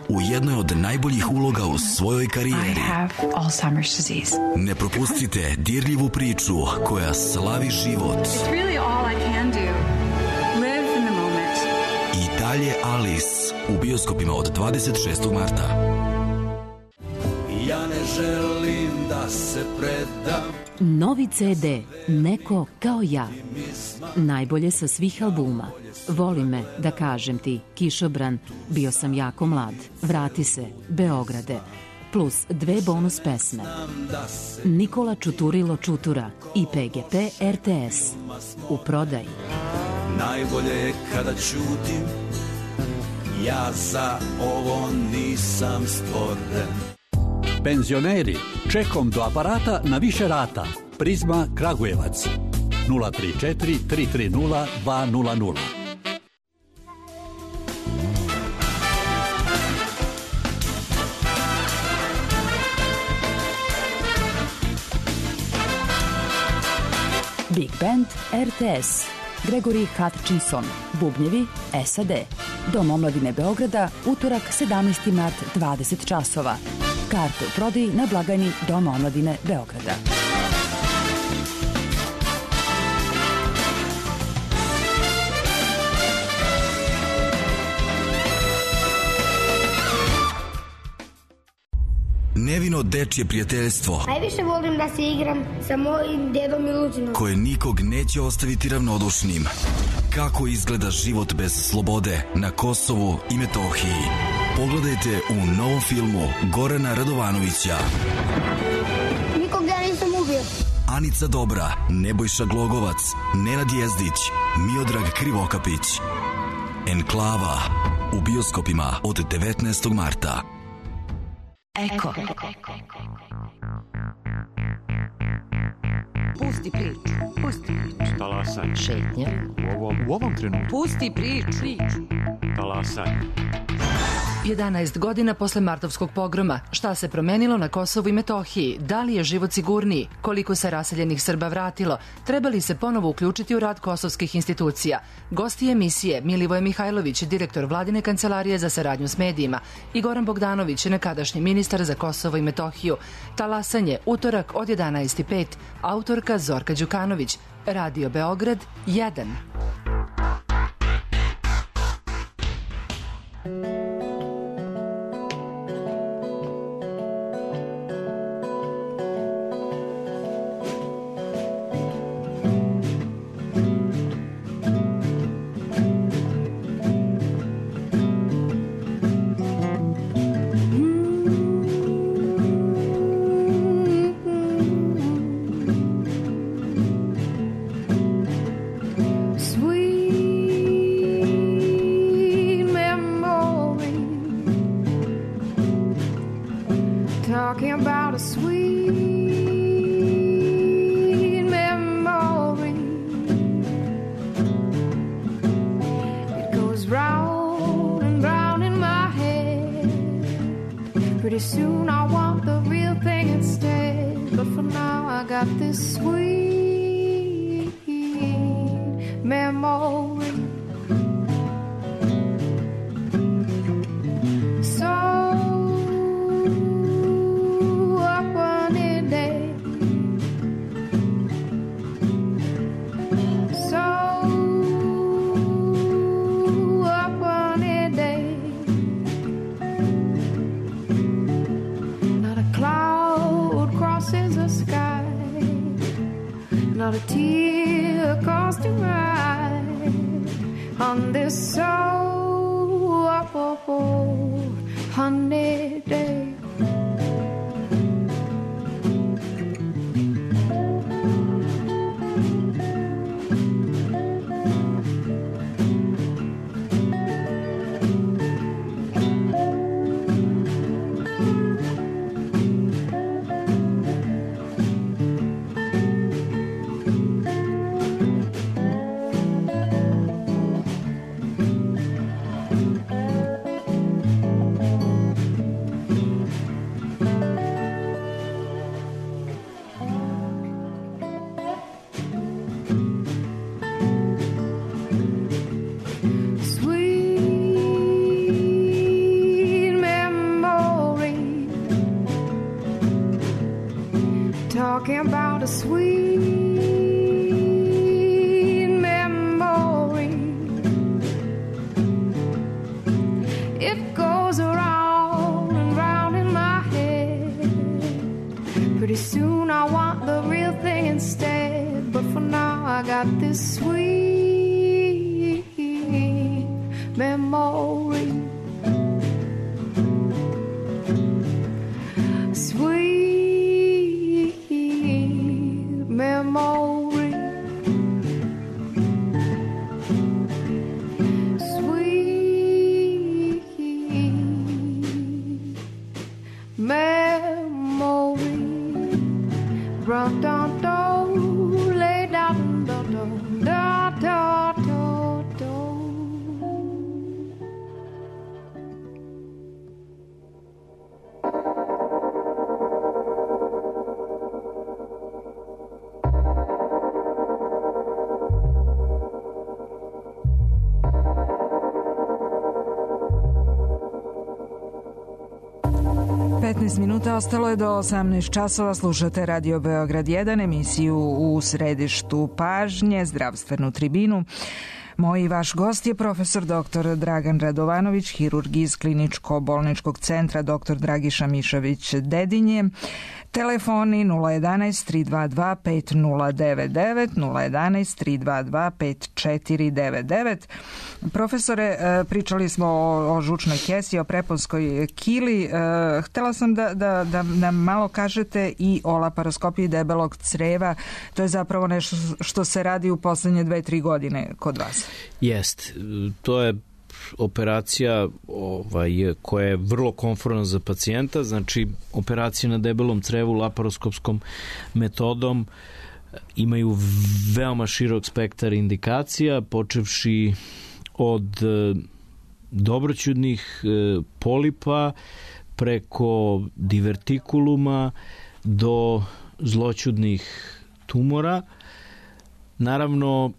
u jednoj od najboljih uloga u svojoj karijeri. Ne propustite dirljivu priču koja slavi život. I dalje Alice u bioskopima od dvadeset šestog marta. Ja ne želim da se predam. Novi ce de Neko kao ja. Najbolje sa svih albuma. Voli me, da kažem ti, Kišobran, Bio sam jako mlad, Vrati se, Beograde, plus dve bonus pesme. Nikola Čuturilo Čutura i pe ge pe er te es. U prodaji. Najbolje je kada ćutim, ja za ovo nisam stvoren. Penzioneri, čekom do aparata na više rata. Prizma Kragujevac. nula tri četiri tri tri nula dva nula nula. Big Band R T S, Gregory Hutchinson, bubnjevi S A D. Dom omladine Beograda, utorak sedamnaesti mart, dvadeset časova. Karte u prodaji na blagajni Doma omladine Beograda. Nevino dečje prijateljstvo. Najviše volim da se igram sa mojim dedom Miluđinom. Koje nikog neće ostaviti ravnodušnim. Kako izgleda život bez slobode na Kosovu i Metohiji. Pogledajte u novom filmu Gorana Radovanovića. Nikog ja nisam ubio. Anica Dobra, Nebojša Glogovac, Nenad Jezdić, Miodrag Krivokapić. Enklava u bioskopima od devetnaestog marta. Eko. Pusti priču. Pusti priču. Talasaj. Šetnja. U ovom, u ovom trenutku. Pusti priču. Talasaj. jedanaest godina posle martovskog pogroma. Šta se promenilo na Kosovu i Metohiji? Da li je život sigurniji? Koliko se raseljenih Srba vratilo? Treba li se ponovo uključiti u rad kosovskih institucija? Gosti emisije Milivoje Mihajlović, direktor Vladine kancelarije za saradnju s medijima, i Goran Bogdanović, nekadašnji ministar za Kosovo i Metohiju. Talasanje, utorak od jedanaest i pet. Autorka Zorka Đukanović. Radio Beograd jedan. Talking about a sweet memory. It goes round and round in my head. Pretty soon I want the real thing instead. But for now I got this sweet memory. Not a tear across the ride on this so honey day. Talking about a sweet memory. It goes around and round in my head. Pretty soon I want the real thing instead. But for now I got this sweet memory. Sweet memory, sweet memory. Run down, down, lay down, down, down, down, down, down. petnaest minuta ostalo je do osamnaest časova. Slušate Radio Beograd jedan, emisiju U središtu pažnje, zdravstvenu tribinu. Moj i vaš gost je profesor doktor Dragan Radovanović, hirurg iz Kliničko-bolničkog centra doktor Dragiša Mišović Dedinje. Telefoni nula jedanaest tri dva dva pet nula devet devet, nula jedanaest tri dva dva pet četiri devet devet. Profesore, pričali smo o, o žučnoj kesi, o preponskoj kili. Htela sam da, da, da nam malo kažete i o laparoskopiji debelog creva. To je zapravo nešto što se radi u poslednje dve, tri godine kod vas. Jest. To je operacija ovaj, koja je vrlo komfortna za pacijenta, znači operacije na debelom crevu laparoskopskom metodom imaju veoma širok spektar indikacija, počevši od dobroćudnih polipa preko divertikuluma do zloćudnih tumora. Naravno,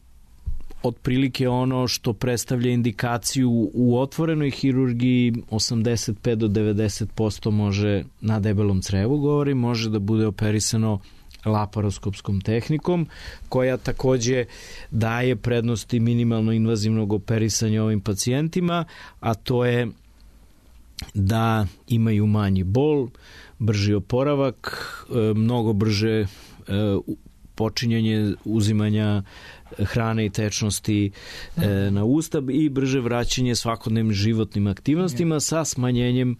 otprilike ono što predstavlja indikaciju u otvorenoj hirurgiji osamdeset pet do devedeset posto može, na debelom crevu govorim, može da bude operisano laparoskopskom tehnikom, koja takođe daje prednosti minimalno invazivnog operisanja ovim pacijentima, a to je da imaju manji bol, brži oporavak, mnogo brže počinjanje uzimanja hrane i tečnosti e, na usta i brže vraćanje svakodnevnim životnim aktivnostima sa smanjenjem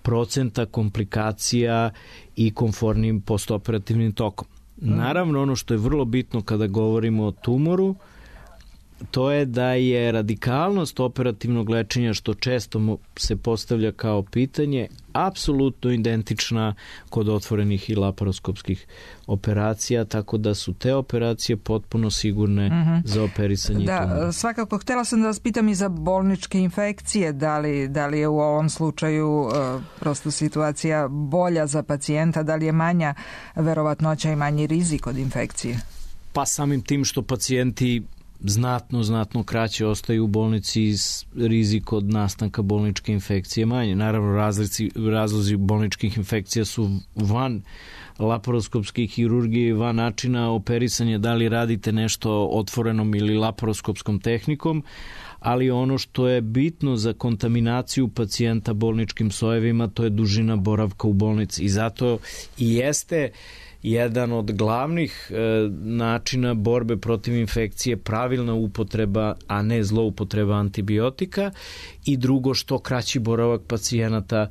procenta komplikacija i komfortnim postoperativnim tokom. Naravno, ono što je vrlo bitno kada govorimo o tumoru, to je da je radikalnost operativnog lečenja, što često se postavlja kao pitanje, apsolutno identična kod otvorenih i laparoskopskih operacija, tako da su te operacije potpuno sigurne mm-hmm. za operisanje da, tumora. Svakako, htjela sam da vas pitam i za bolničke infekcije, da li, da li je u ovom slučaju uh, prosto situacija bolja za pacijenta, da li je manja verovatnoća i manji rizik od infekcije? Pa samim tim što pacijenti znatno, znatno kraće ostaju u bolnici, rizik od nastanka bolničke infekcije manje. Naravno, razlici, razlozi bolničkih infekcija su van laparoskopske hirurgije, van načina operisanja, da li radite nešto otvorenom ili laparoskopskom tehnikom, ali ono što je bitno za kontaminaciju pacijenta bolničkim sojevima, to je dužina boravka u bolnici. I zato i jeste jedan od glavnih e, načina borbe protiv infekcije pravilna upotreba, a ne zloupotreba antibiotika, i drugo, što kraći boravak pacijenata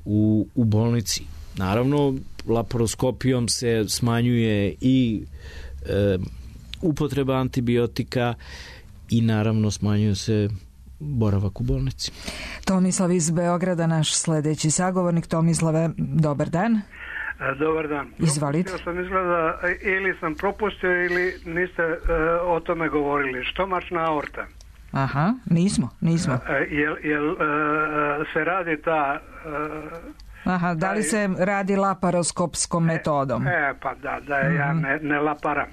u, u bolnici. Naravno, laparoskopijom se smanjuje i e, upotreba antibiotika i naravno smanjuje se boravak u bolnici. Tomislav iz Beograda, naš sledeći sagovornik. Tomislave, dobar dan. Dobar dan. Izvalite. Propustio sam izgleda, ili sam propustio ili niste uh, o tome govorili. Štomačna aorta. Aha, nismo, nismo. Uh, jel jel uh, se radi ta... Uh, Aha, da li se radi laparoskopskom metodom? E, e pa da, da mm-hmm. ja ne, ne laparam.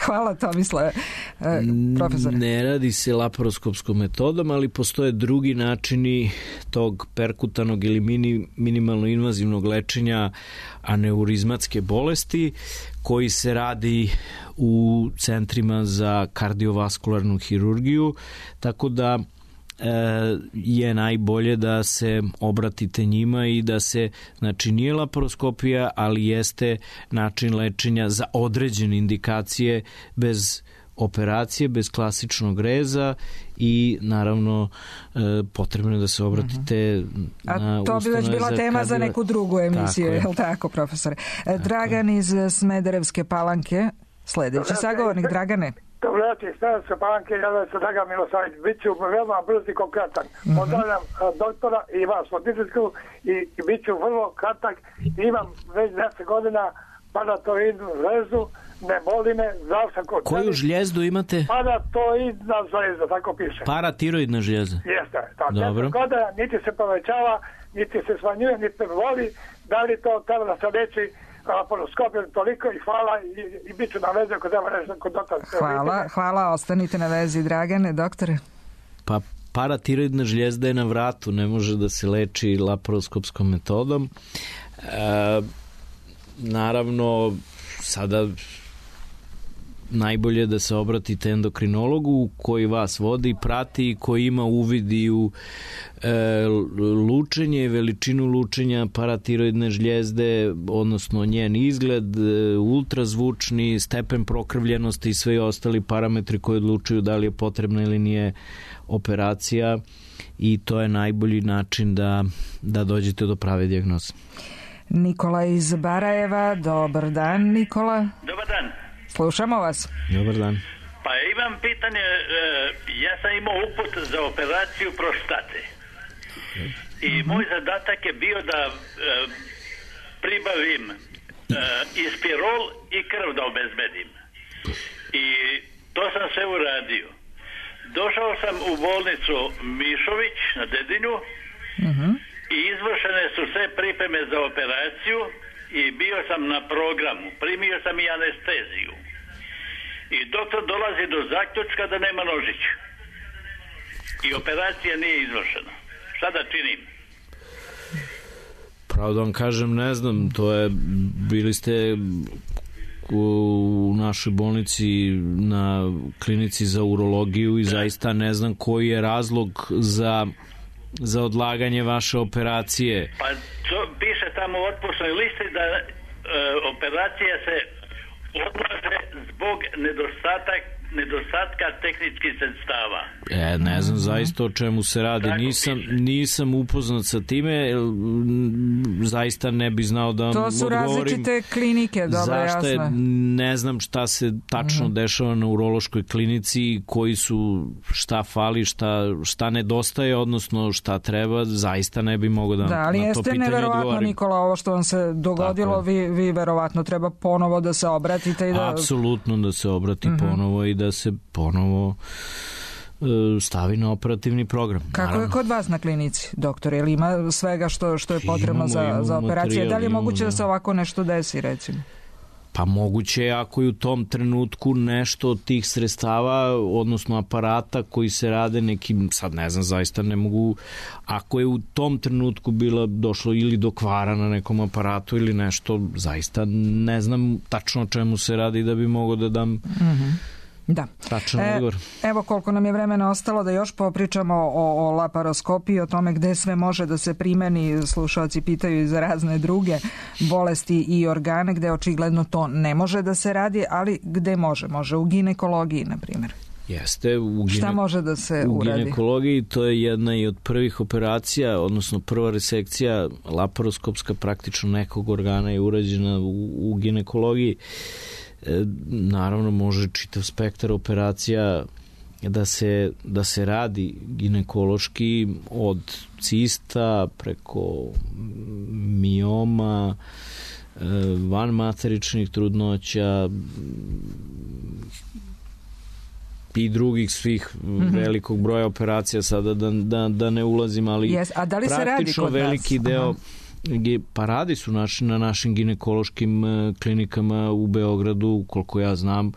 Hvala, Tomislave. E, profesor. Ne radi se laparoskopskom metodom, ali postoje drugi načini tog perkutanog ili mini, minimalno invazivnog lečenja aneurizmatske bolesti, koji se radi u centrima za kardiovaskularnu hirurgiju, tako da je najbolje da se obratite njima i da se, znači nije laparoskopija, ali jeste način lečenja za određene indikacije bez operacije, bez klasičnog reza i naravno potrebno je da se obratite uh-huh. na A to bi već bila tema za neku drugu emisiju, je li tako, profesore? Tako. Dragan iz Smederevske Palanke, sledeći sagovornik. Dragane. Dobro večer, Smederevske Palanke, ja sam Dragan Milosavljević, bit ću veoma brz i konkretan. Mm-hmm. Pozdravljam doktora i vas od Dižetsku i, i bit ću vrlo kratak. Imam već deset godina paratoidnu žlezu, ne boli me, zdrav sam kod. Koju žljezdu imate? Paratoidna žlezda, tako piše. Paratiroidna žljezda? Jeste, tako. Dobro. Godina, niti se povećava, niti se smanjuje, niti me voli. Da li to treba da se leči laparoskopijom toliko i hvala i, i bit ću na vezi ako treba nešto kod doktora. Hvala, hvala, ostanite na vezi, Dragane. Doktore? Pa paratiroidna žljezda je na vratu, ne može da se leči laparoskopskom metodom. E, naravno, sada najbolje da se obratite endokrinologu koji vas vodi, prati, koji ima uvid i u e, lučenje, veličinu lučenja paratiroidne žljezde, odnosno njen izgled, ultrazvučni, stepen prokrvljenosti i sve ostali parametri koji odlučuju da li je potrebna ili nije operacija, i to je najbolji način da, da dođete do prave dijagnoze. Nikola iz Barajeva, dobar dan Nikola. Dobar dan. Slušamo vas. Dobar dan. Pa imam pitanje, ja sam imao uput za operaciju prostate i mm-hmm. moj zadatak je bio da pribavim ispirol i krv da obezbedim. I to sam sve uradio. Došao sam u bolnicu Mišović na Dedinju mm-hmm. i izvršene su sve pripreme za operaciju i bio sam na programu. Primio sam i anesteziju. I doktor dolazi do zaključka da nema nožić. I operacija nije izvršena. Šta da činim? Pravo da vam kažem, ne znam, to je, bili ste u našoj bolnici na klinici za urologiju i da. Zaista ne znam koji je razlog za, za odlaganje vaše operacije. Pa to piše tamo u otpusnoj listi da e, operacija se odlaže zbog nedostatak, nedostatka tehničkih sredstava. E, ne znam zaista o čemu se radi. Nisam, nisam upoznat sa time, zaista ne bi znao da vam odgovorim. To su različite klinike, dobro, jasno. Je, ne znam šta se tačno uh-huh. dešava na urološkoj klinici, koji su, šta fali, šta, šta nedostaje, odnosno šta treba, zaista ne bi mogao da, da ali na to pitanje odgovorim. Da, ali jeste neverovatno, Nikola, ovo što vam se dogodilo, vi, vi verovatno treba ponovo da se obratite i da... Apsolutno da se obrati uh-huh. ponovo i da se ponovo stavi na operativni program. Kako naravno. Je kod vas na klinici, doktor? Je li ima svega što, što je potrebno imamo, za, imamo za operacije? Da li je moguće da se ovako nešto desi, recimo? Pa moguće je ako je u tom trenutku nešto od tih sredstava, odnosno aparata koji se rade nekim, sad ne znam, zaista ne mogu, ako je u tom trenutku bilo došlo ili do kvara na nekom aparatu ili nešto, zaista ne znam tačno o čemu se radi da bi mogao da dam mm-hmm. Da. E, evo koliko nam je vremena ostalo da još popričamo o, o laparoskopiji, o tome gde sve može da se primeni. Slušalci pitaju i za razne druge bolesti i organe gde očigledno to ne može da se radi, ali gde može? Može u ginekologiji, na primjer. Jeste. U gine... Šta može da se u uradi? U ginekologiji to je jedna i od prvih operacija, odnosno prva resekcija laparoskopska praktično nekog organa je urađena u, u ginekologiji. E, naravno može čitav spektar operacija da se, da se radi ginekološki, od cista preko mioma, e, vanmateričnih trudnoća i drugih svih mm-hmm. velikog broja operacija, sada da, da, da ne ulazim, ali yes. A da li se radi kod veliki nas? deo Aha. Pa radi su naši, na našim ginekološkim klinikama u Beogradu, koliko ja znam,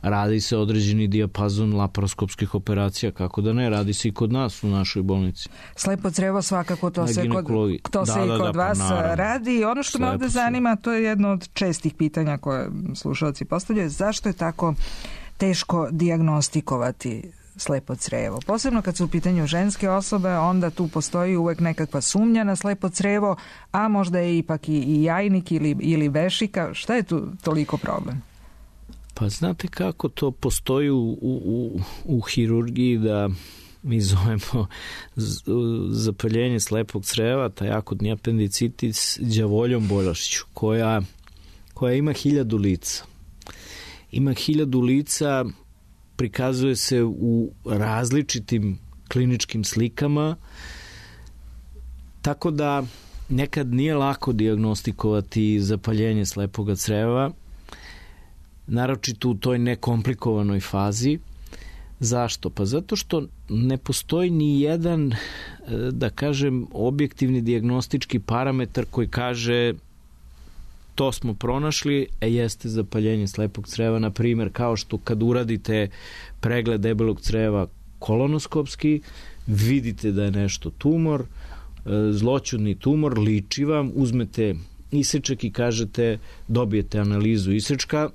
radi se određeni dijapazon laparoskopskih operacija, kako da ne, radi se i kod nas u našoj bolnici. Slepo crevo svakako to se kod, to da, se da, i kod da, vas pa radi. I ono što Slepo me ovde zanima, to je jedno od čestih pitanja koje slušalci postavljaju, zašto je tako teško dijagnostikovati slepo crevo. Posebno kad su u pitanju ženske osobe, onda tu postoji uvek nekakva sumnja na slepo crevo, a možda je ipak i, i jajnik ili, ili vešika. Šta je tu toliko problem? Pa znate kako to postoji u, u, u hirurgiji, da mi zovemo zapaljenje slepog creva, taj akutni apendicitis, đavoljom bolešću, koja, koja ima hiljadu lica. Ima hiljadu lica, prikazuje se u različitim kliničkim slikama, tako da nekad nije lako dijagnostikovati zapaljenje slepog creva, naročito u toj nekomplikovanoj fazi. Zašto? Pa zato što ne postoji ni jedan, da kažem, objektivni dijagnostički parametar koji kaže to smo pronašli, e jeste zapaljenje slepog creva, na primjer, kao što kad uradite pregled debelog creva kolonoskopski, vidite da je nešto tumor, zloćudni tumor, liči vam, uzmete isečak i kažete, dobijete analizu isečka,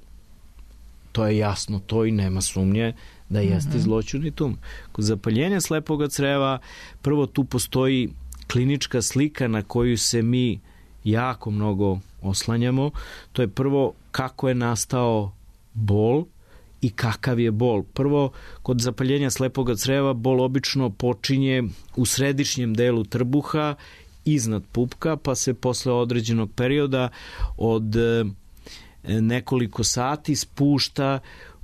to je jasno, to i nema sumnje da jeste mm-hmm. zloćudni tumor. Kod zapaljenja slepog creva prvo tu postoji klinička slika na koju se mi jako mnogo oslanjamo. To je prvo kako je nastao bol i kakav je bol. Prvo, kod zapaljenja slepog creva bol obično počinje u središnjem delu trbuha iznad pupka, pa se posle određenog perioda od nekoliko sati spušta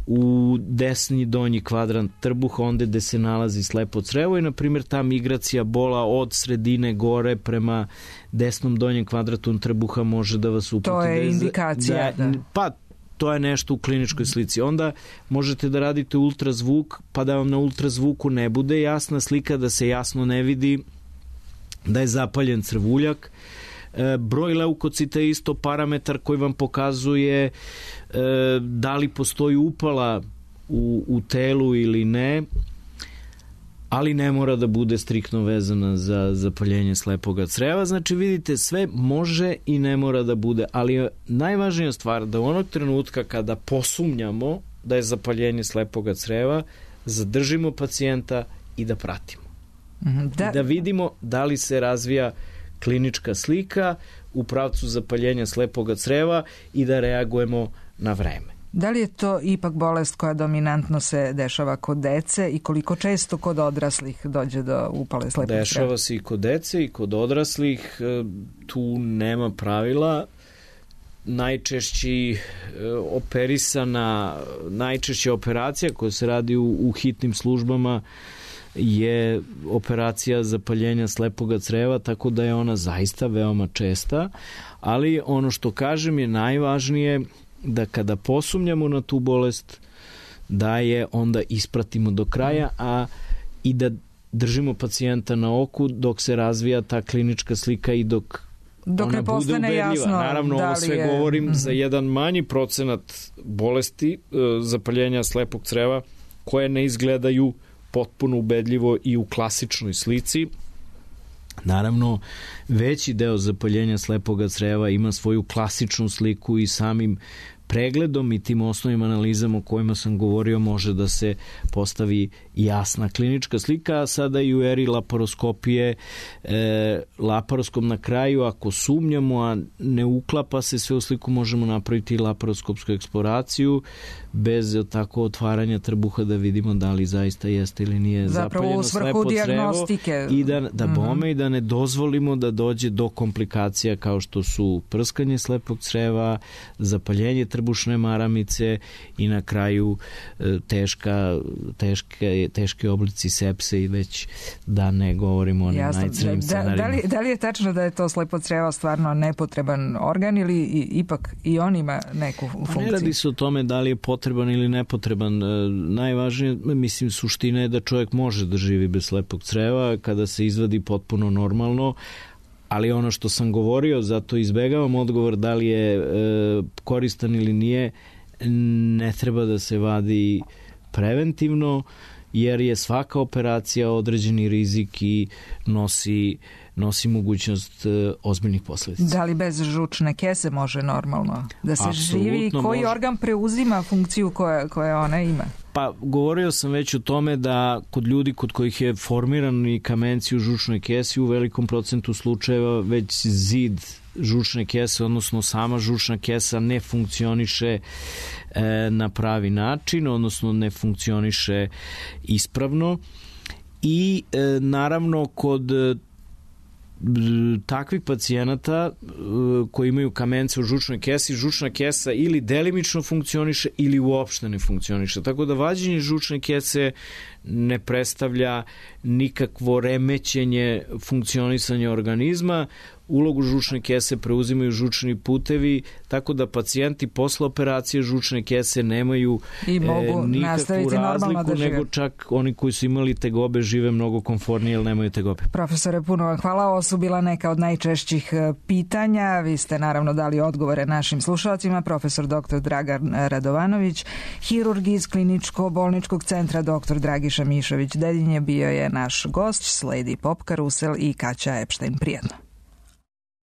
u desni donji kvadrant trbuha, onda gde se nalazi slepo crevo i, na primjer, ta migracija bola od sredine gore prema desnom donjem kvadratu trbuha može da vas uputi. To je indikacija. Da, da. Pa, to je nešto u kliničkoj slici. Onda možete da radite ultrazvuk, pa da vam na ultrazvuku ne bude jasna slika, da se jasno ne vidi da je zapaljen crvuljak. E, broj leukocita je isto parametar koji vam pokazuje e, da li postoji upala u, u telu ili ne, ali ne mora da bude striktno vezana za zapaljenje slepoga creva. Znači, vidite, sve može i ne mora da bude, ali je najvažnija stvar da u onog trenutka kada posumnjamo da je zapaljenje slepoga creva, zadržimo pacijenta i da pratimo. Da, da vidimo da li se razvija klinička slika u pravcu zapaljenja slepoga creva i da reagujemo na vreme. Da li je to ipak bolest koja dominantno se dešava kod dece i koliko često kod odraslih dođe do upale slepog creva? Dešava se i kod dece i kod odraslih, tu nema pravila. Najčešći operisana, najčešća operacija koja se radi u, u hitnim službama je operacija zapaljenja slepoga creva, tako da je ona zaista veoma česta, ali ono što kažem je najvažnije da kada posumnjamo na tu bolest, da je onda ispratimo do kraja, a i da držimo pacijenta na oku dok se razvija ta klinička slika i dok Dok ona bude ubedljiva. Jasno, naravno, da ovo sve je... govorim mm-hmm. za jedan manji procenat bolesti zapaljenja slepog creva koje ne izgledaju potpuno ubedljivo i u klasičnoj slici. Naravno, veći deo zapaljenja slepoga creva ima svoju klasičnu sliku i samim pregledom i tim osnovnim analizama o kojima sam govorio može da se postavi jasna klinička slika, a sada i u eri laparoskopije e, laparoskop na kraju, ako sumnjamo, a ne uklapa se sve u sliku, možemo napraviti laparoskopsku eksploraciju bez tako otvaranja trbuha da vidimo da li zaista jeste ili nije zapaljeno slepo crevo i da, da bome mm-hmm. i da ne dozvolimo da dođe do komplikacija kao što su prskanje slepog creva, zapaljenje trbušne maramice i na kraju teška, teške, teške oblici sepse i već da ne govorimo o onim najcrnjim scenarijima. Da, da, li, da li je tačno da je to slepo crevo stvarno nepotreban organ ili i, ipak i on ima neku funkciju? Ne radi se o tome da li je potreban ili nepotreban. Najvažnije, mislim, suština je da čovjek može da živi bez slepog creva kada se izvadi potpuno normalno, ali ono što sam govorio, zato izbegavam odgovor da li je e, koristan ili nije, ne treba da se vadi preventivno, jer je svaka operacija određeni rizik i nosi, nosi mogućnost e, ozbiljnih posledica. Da li bez žučne kese može normalno da se Absolutno živi? Koji može. Organ preuzima funkciju koja, koja ona ima? Pa, govorio sam već o tome da kod ljudi kod kojih je formirani kamenci u žučnoj kesi u velikom procentu slučajeva već zid žučne kese, odnosno sama žučna kesa ne funkcioniše e, na pravi način, odnosno ne funkcioniše ispravno i e, naravno kod takvih pacijenata koji imaju kamence u žučnoj kesi, žučna kesa ili delimično funkcioniše ili uopšte ne funkcioniše. Tako da vađenje žučne kese ne predstavlja nikakvo remećenje funkcionisanja organizma. Ulogu žučne kese preuzimaju žučni putevi, tako da pacijenti posle operacije žučne kese nemaju I mogu e, nikakvu razliku, da nego čak oni koji su imali tegobe žive mnogo komfornije, jer nemaju tegobe. Profesore, puno vam hvala. Ovo su bila neka od najčešćih pitanja. Vi ste naravno dali odgovore našim slušalcima. Profesor doktor Dragan Radovanović, hirurg iz kliničko-bolničkog centra doktor Dragiša Mišović Dedinje bio je naš gost, sledi Pop Karusel i Kaća Epštajn. Prijetno.